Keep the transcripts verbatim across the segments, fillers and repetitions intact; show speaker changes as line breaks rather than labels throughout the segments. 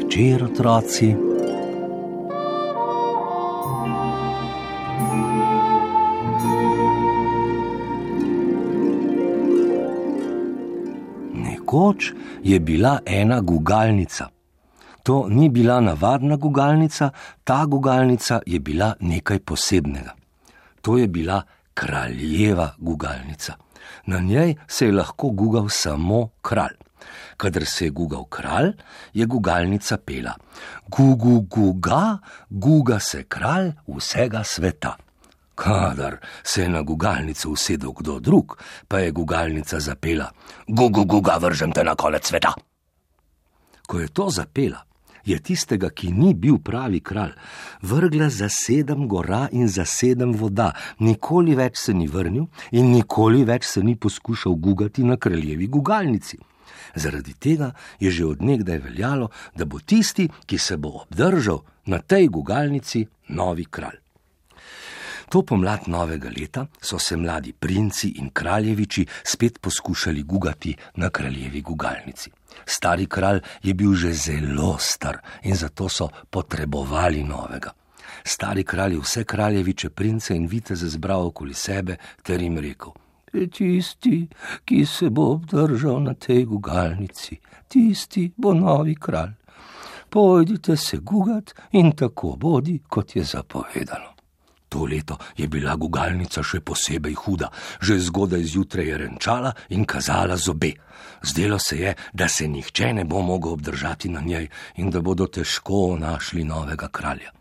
večer, otroci. Nekoč je bila ena gugalnica. To ni bila navadna gugalnica, ta gugalnica je bila nekaj posebnega. To je bila kraljeva gugalnica. Na njej se je lahko gugal samo kralj. Kadar se je gugal kralj, je gugalnica pela: Gugu guga, guga se kralj vsega sveta. Kadar se je na gugalnico usedel kdo drug, pa je gugalnica zapela: Gugu guga, vržem te na konec sveta. Ko je to zapela, je tistega, ki ni bil pravi kralj, vrgla za sedem gora in za sedem voda, nikoli več se ni vrnil in nikoli več se ni poskušal gugati na kraljevi gugalnici. Zaradi tega je že od nekdaj veljalo, da bo tisti, ki se bo obdržal na tej gugalnici, novi kralj. To pomlad novega leta so se mladi princi in kraljeviči spet poskušali gugati na kraljevi gugalnici. Stari kralj je bil že zelo star in zato so potrebovali novega. Stari kralj je vse kraljeviče prince in viteze zbral okoli sebe ter jim rekel: Tisti, ki se bo obdržal na tej gugalnici, tisti bo novi kralj. Pojdite se gugat in tako bodi, kot je zapovedano. To leto je bila gugalnica še posebej huda. Že zgodaj zjutraj je renčala in kazala zobe. Zdelo se je, da se nihče ne bo mogel obdržati na njej in da bodo težko našli novega kralja.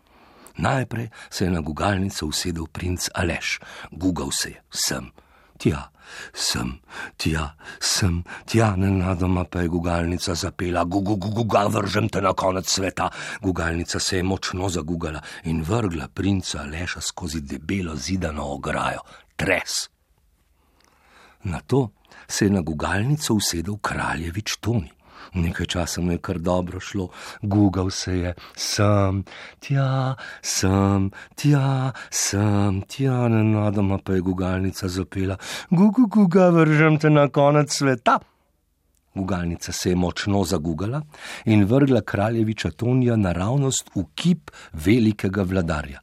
Najprej se je na gugalnico usedel princ Aleš. Gugal se je sem, tja, sem, tja, sem, tja, nenadoma pa je gugalnica zapela: Gugu guga, vržem te na konec sveta. Gugalnica se je močno zagugala in vrgla princa Aleša skozi debelo zidano ograjo. Tres. Nato se je na gugalnico usedel kraljevič Toni. Nekaj časa mu je kar dobro šlo, gugal se je sem, tja, sem, tja, sem, tja, nenadoma pa je gugalnica zapela: Gugu guga, vržem te na konec sveta. Gugalnica se je močno zagugala in vrgla kraljeviča Tonija naravnost v kip velikega vladarja.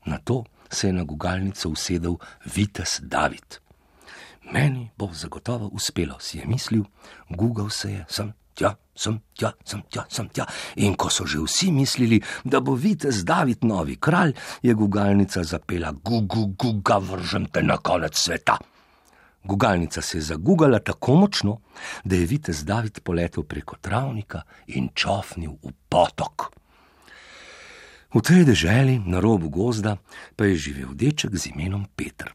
Nato se je na gugalnico usedel vitez David. Meni bo zagotovo uspelo, si je mislil, gugal se je sem, tja, sem, tja, sem, tja, sem, tja. In ko so že vsi mislili, da bo vitez David novi kralj, je gugalnica zapela: Gugu guga, vržem te na konec sveta. Gugalnica se je zagugala tako močno, da je vitez David poletel preko travnika in čofnil v potok. V tej deželi na robu gozda pa je živel deček z imenom Peter.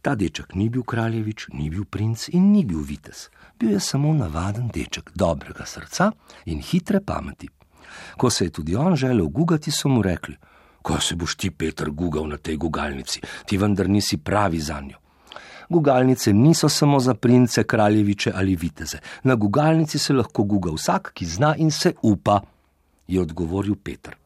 Ta deček ni bil kraljevič, ni bil princ in ni bil vitez. Bil je samo navaden deček, dobrega srca in hitre pameti. Ko se je tudi on želel gugati, so mu rekli: Ko se boš ti, Peter, gugal na tej gugalnici, ti vendar nisi pravi zanjo. Gugalnice niso samo za prince, kraljeviče ali viteze. Na gugalnici se lahko guga vsak, ki zna in se upa, je odgovoril Peter.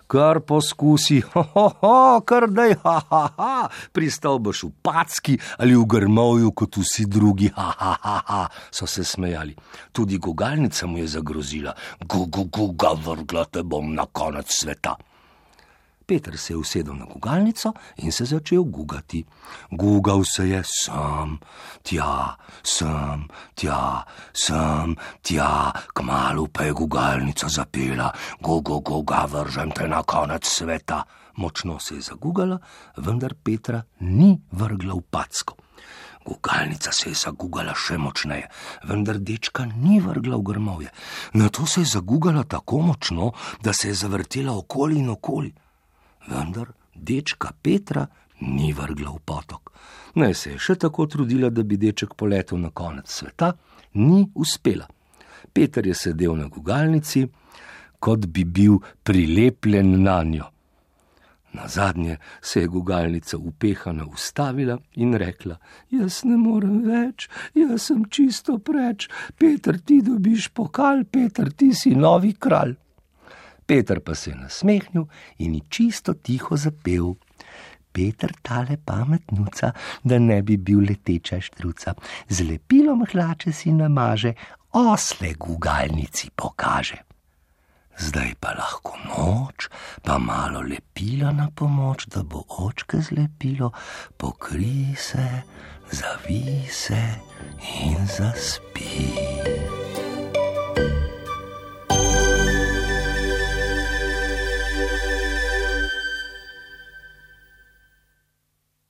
Kar poskusi, ho, ho, ho, kar daj, ha, ha, ha, pristal boš v packi ali v grmovju kot vsi drugi, ha, ha, ha, ha, so se smejali. Tudi gugalnica mu je zagrozila: Gugu guga, vrgla te bom na konec sveta. Peter se je usedel na gugalnico in se začel gugati. Gugal se je sem, tja, sem, tja, sem, tja, kmalu pa je gugalnica zapela: Gugu guga, vržem te na konec sveta. Močno se je zagugala, vendar Petra ni vrgla v packo. Gugalnica se je zagugala še močneje, vendar dečka ni vrgla v grmovje. Nato se je zagugala tako močno, da se je zavrtela okoli in okoli. Vendar dečka Petra ni vrgla v potok. Naj se je še tako trudila, da bi deček poletel na konec sveta, ni uspela. Peter je sedel na gugalnici, kot bi bil prilepljen nanjo. Nazadnje se je gugalnica upehana ustavila in rekla: Jaz ne morem več, jaz sem čisto preč. Peter, ti dobiš pokal, Peter, ti si novi kralj. Peter pa se je nasmehnil in ji čisto tiho zapel: Peter tale pametnuca, da ne bi bil leteča štruca, z lepilom hlače si namaže, osle gugalnici pokaže. Zdaj pa lahko noč, pa malo lepila na pomoč, da bo očke zlepilo, pokrij se, zavij se in zaspi.